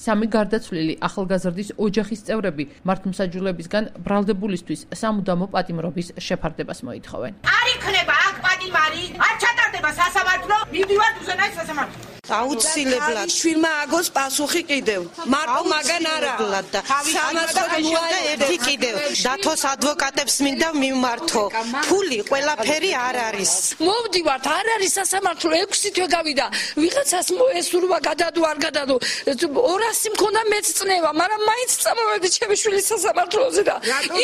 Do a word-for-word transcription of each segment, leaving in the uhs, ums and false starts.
სამი გარდაცვლილი ახალგაზრდის ოჯახის წევრები მართლმსაჯულებისგან ბრალდებულისთვის სამუდამო პატიმრობის შეფარდებას მოითხოვენ. არ იქნება აქ პატიმარი, არ ჩატარდება სასამართლო, მივდივართ უზენაეს სასამართლო. აუცილებლად შვილმა აგოს პასუხი კიდევ. მარტო მაგან არა. სამასოთმოა ერთი კიდევ. დათოს ადვოკატებს მინდა მიმართო. ფული ყველაფერი არ არის. მოვდივართ, არ არის სასამართლო, ექვსი თვე გავიდა. ვიღაცას მოესურვა გადადო არ გადადო. ორასი მქონდა მეც წნევა, მაგრამ მაინც წამოვედი ჩემი შვილის სასამართლოზე და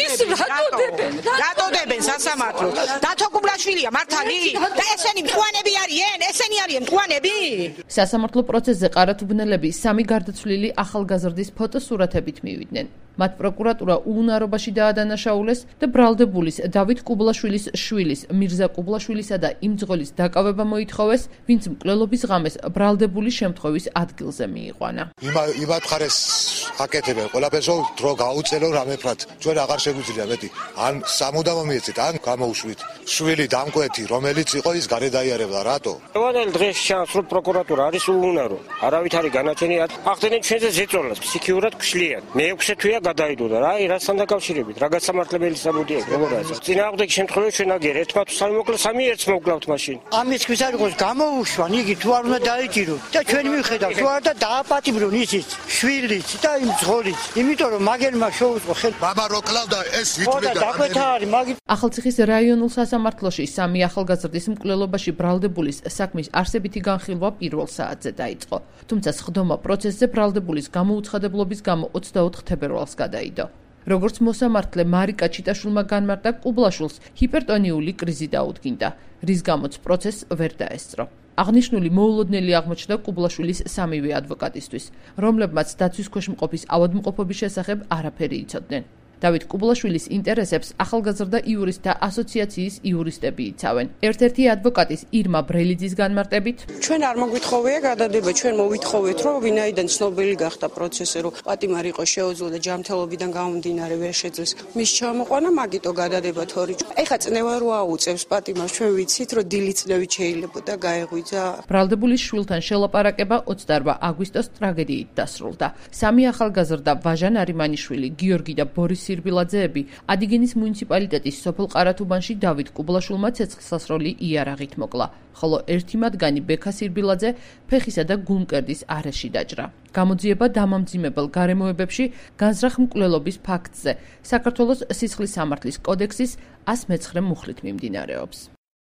ის რატოდებენ? რატოდებენ სასამართლოს? დათო კუბლაშვილია მართალი? და ესენი მწვანები არიან? ესენი არიან მწვანები? სასამართლო პროცესზე ყარათუბნელები სამი გარდაცვლილი ახალგაზრდის ფოტოსურათებით მივიდნენ. მათ პროკურატურა უუნარობაში დაადანაშაულეს და ბრალდებულის დავით კუბლაშვილის შვილის მირზა კუბლაშვილისა და იმ ძღოლის დაკავება მოითხოვეს, ვინც მკვლელობის ღამეს ბრალდებულის შემთხვევის ადგილზე მიიყვანა. იმათ ხარეს აკეთებენ ყველაფერს დრო გაუწელო რამეფრად. ჩვენ აღარ შეგვიძლია მეტი. ან სამუდამო მიეცეთ, ან გამოუშვით. შვილი დამკვეთი, რომელიც იყო ის გარედაიარებდა, რატო? ყველანაირ დღეს ჩანს, რომ პროკურატურა არის უუნარო. არავით არის განაჩენი, ახდენენ ჩვენზე ზეწოლას, ფსიქიურად გშლიან. მეექვსე თვეა გადაიდო და რა, რასთან დაკავშირებით, რა გასამართლებელი საბუდია, როგორია. წინააღმდეგ შემთხვევაში ჩვენ აგერ ერთმა თუ სამი მოკლა, სამი ერთს მოვკლავთ მაშინ. ამის ხვის არ იყოს გამოუშვან, იგი თუ არ უნდა დაიჭიროთ და ჩვენ მივხედავთ, თუ არ და დააპატიმრონ ისიც, შვილიც და იმ ძღოლიც. იმიტომ რომ მაგერმა შეუწყო ხელ. მამა რო კლავდა ეს ვითვლიდა. დაგვეთა არის, მაგით ახალციხის რაიონულ სასამართლოში სამი ახალგაზრდის მკვლელობაში ბრალდებულის საქმის არსებითი განხილვა პირველ საათზე დაიწყო. თუმცა სხდომა პროცესზე ბრალდებულის გამოუცხადებლობის გამო ოცდაოთხ თებერვალს გადაიდო. როგორც მოსამართლე მარიკა ჩიტაშვილმა განმარტა, კუბლაშვილს ჰიპერტონიული კრიზი დაუდგინდა, რის გამოც პროცესს ვერ დაესწრო. აღნიშნული მოულოდნელი აღმოჩნდა კუბლაშვილის სამივე ადვოკატისთვის, რომლებმაც დაცვის ქვეშ მყოფის ავადმყოფობის შესახებ არაფერი იცოდნენ. დავით კუბლაშვილის ინტერესებს ახალგაზრდა იურისტთა ასოციაციის იურისტები იცავენ. ერთ-ერთი ადვოკატის ირმა ბრელიძის განმარტებით, ჩვენ არ მოგვითხოვია გადადება, ჩვენ მოვითხოვეთ, რომ ვინაიდან ცნობილი გახდა პროცესზე, რომ პატიმარი იყო შეუძლო და ჯანმრთელობიდან გამომდინარე ვერ შეძლეს მის ჩამოყვანა, მაგიტო გადადება თორი. ეხა წნევა რო აუწევს პატიმარს, ჩვენ ვიცით, რომ დილი წნევით შეიძლება და გაეღვიძა. ბრალდებულის შვილთან შელაპარაკება ოცდაორმა აგვისტოს ტრაგედიით დასრულდა. სამი ახალგაზრდა ვაჟა ნარიმანიშვილი, გიორგი და ბორის სირბილაძეები ადიგენის მუნიციპალიტეტის სოფელ ყარათუბანში დავით კუბლაშვილმა ცეცხლსასროლი იარაღით მოკლა, ხოლო ერთი მათგანი ბექა სირბილაძე ფეხისა და გულმკერდის არეში დაჭრა. გამოძიება დამამძიმებელ გარემოებებში განზრახ მკვლელობის ფაქტზე საქართველოს სისხლის სამართლის კოდექსის ას მეცხრე მუხლით მიმდინარეობს.